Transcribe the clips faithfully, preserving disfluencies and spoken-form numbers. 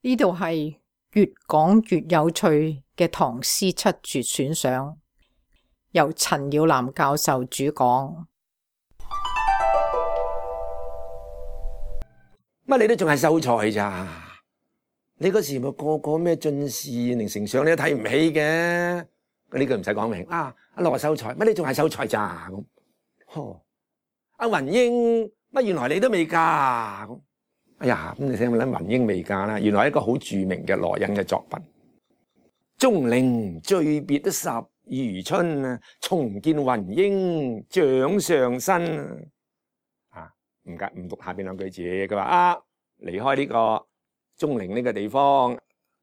呢度係越講越有趣嘅唐詩七絕選賞，由陳耀南教授主講。乜你都仲係秀才咋？你嗰時咪個個咩進士、寧丞相你都睇唔起嘅，呢句唔使講明啊！阿羅秀才，乜你仲係秀才咋？咁，呵，阿雲英，乜原來你都未嫁咁？哎呀，咁你聽唔聽雲英未嫁啦？原來係一個好著名嘅羅隱嘅作品。鐘陵醉別都十餘春啊，重見雲英掌上身啊！唔解唔讀下邊兩句字，佢話啊，離開呢個鐘陵呢個地方，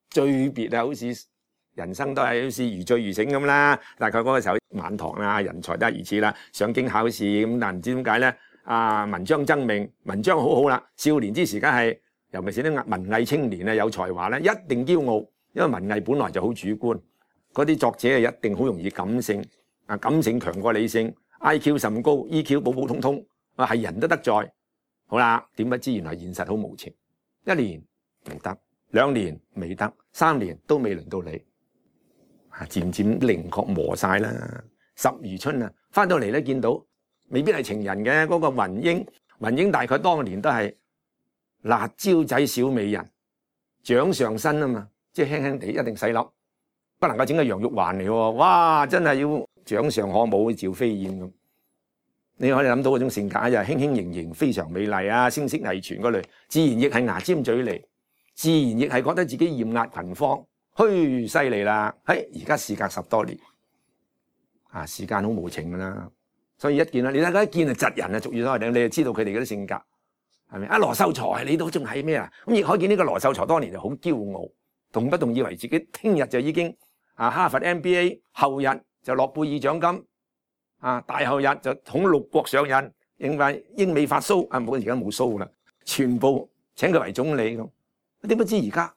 醉別啊，好似人生都係好似如醉如醒咁啦。大概嗰個時候晚唐啦，人才都係如此啦，上京考試咁，但唔知點解咧？啊，文章爭鳴，文章好好啦。少年之時，梗係尤其是啲文藝青年啊，有才華咧，一定驕傲，因為文藝本來就好主觀。嗰啲作者係一定好容易感性，啊，感性強過理性 ，I Q 甚高 ，E Q 普普通通，啊係人都得在。好啦，點不知原來現實好無情，一年唔得，兩年未得，三年都未輪到你，啊，漸漸稜角磨晒啦。十餘春啊，翻到嚟咧見到。未必係情人嘅嗰、那個雲英，雲英大概當年都係辣椒仔小美人，掌上身啊嘛，即係輕輕地一定細粒，不能夠整個楊玉環嚟喎，哇！真係要掌上可舞趙飛燕咁。你可以諗到嗰種性格就係輕輕盈盈，非常美麗啊，聲色藝全嗰類，自然亦係牙尖嘴利，自然亦係覺得自己豔壓群芳，噓犀利啦！嘿，而家事隔十多年，啊，時間好無情噶啦。所以一見啦，你大家一見就窒人啊，俗語所謂，你就知道佢哋嗰啲性格係咪？啊，羅秀才你都仲係咩啊？咁亦可見呢個羅秀才當年就好驕傲，動不動以為自己聽日就已經啊哈佛 M B A， 後日就諾貝爾獎金，啊大後日就統六國上任，因為英美法蘇啊冇而家冇蘇啦，全部請佢為總理咁。點不知而家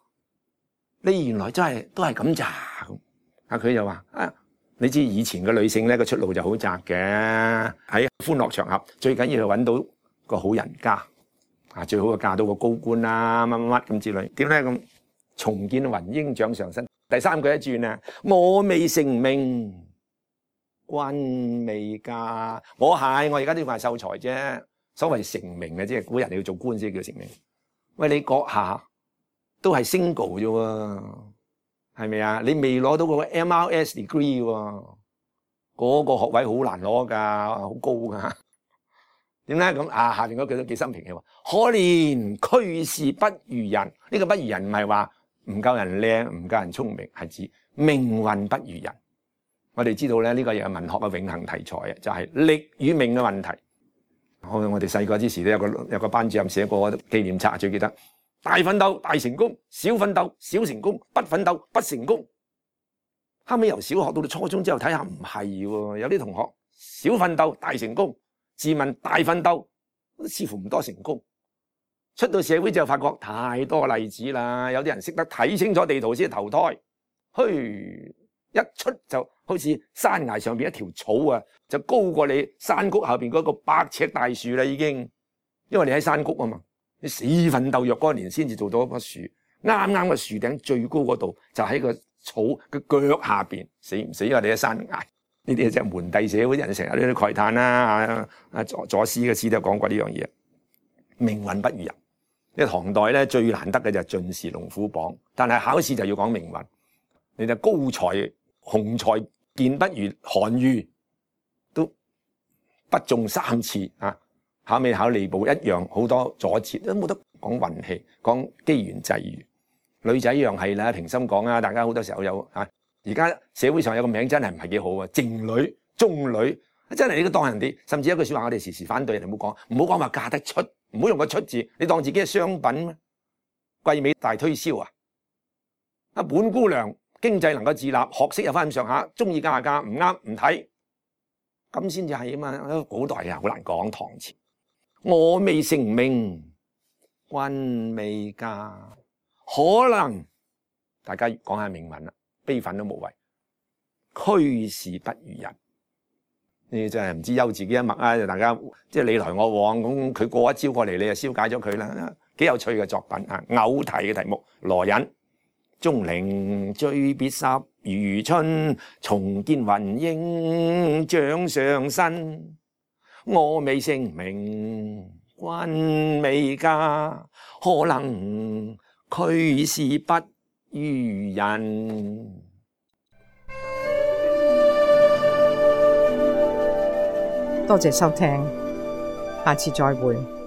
你原來真係都係咁咋咁？啊佢又話啊。你知以前嘅女性咧個出路就好窄嘅，喺歡樂場合最緊要係揾到個好人家，啊最好就嫁到個高官啦，乜乜乜咁之類。點咧咁？重見雲英掌上身。第三句一轉啊，我未成名，君未嫁。我係我而家都要係秀才啫。所謂成名嘅，即係古人你要做官先叫成名。喂，你閣下都係 single 啫喎。係咪啊？你未攞到嗰個 M R S degree 喎，嗰個學位好難攞㗎，好高㗎。點解咁啊？下邊嗰句都幾心平氣和。可憐驅使不如人，呢個不如人唔係話唔夠人靚，唔夠人聰明，係指命運不如人。我哋知道咧，呢個又係文學嘅永恆題材啊，就係力與命嘅問題。我我哋細個之時都有個有個班主任寫過紀念冊，最記得。大奮鬥大成功，小奮鬥小成功，不奮鬥不成功。後尾由小學到到初中之後睇下唔係喎，有啲同學小奮鬥大成功，自問大奮鬥似乎唔多成功。出到社會之後發覺太多例子啦，有啲人識得睇清楚地圖先投胎，噓一出就好似山崖上邊一條草啊，就高過你山谷後邊嗰個百尺大樹啦已經，因為你喺山谷啊嘛。你死奮鬥若干年先至做到一棵樹，啱啱個樹頂最高嗰度就喺個草嘅腳下邊，死唔死啊？你喺山崖呢啲就係門第社會人成日呢啲慨嘆啦。啊啊左左思嘅詩都有講過呢樣嘢，命運不如人。呢唐代咧最難得嘅就係進士龍虎榜，但係考試就要講命運。你就高才雄才健不如韓愈，都不中三次啊！考尾考吏部一樣好多阻截，都冇得講運氣，講機緣際遇。女仔一樣係啦，平心講啊，大家好多時候有啊，而家社會上有個名真係唔係幾好啊，靜女、中女，真係你都當人哋，甚至一句説話，我哋時時反對人哋，唔好講，唔好講話嫁得出，唔好用個出字，你當自己係商品咩？季尾大推銷啊！啊，本姑娘經濟能夠自立，學識有翻咁上下，中意嫁下嫁，唔啱唔睇，咁先至係啊嘛。古代啊好難講，唐朝。我未成名，君未嫁，可能大家講下命運啦，悲憤都無謂。驅使不如人，你真係唔知休自己一脈啊！大家即係你來我往咁，佢過一招過嚟，你就消解咗佢啦。幾有趣嘅作品啊！偶題嘅題目，羅隱。鐘靈最別十餘春，重見雲影掌上身。我未成名，君未嫁，可能俱是不如人。多謝收聽，下次再會。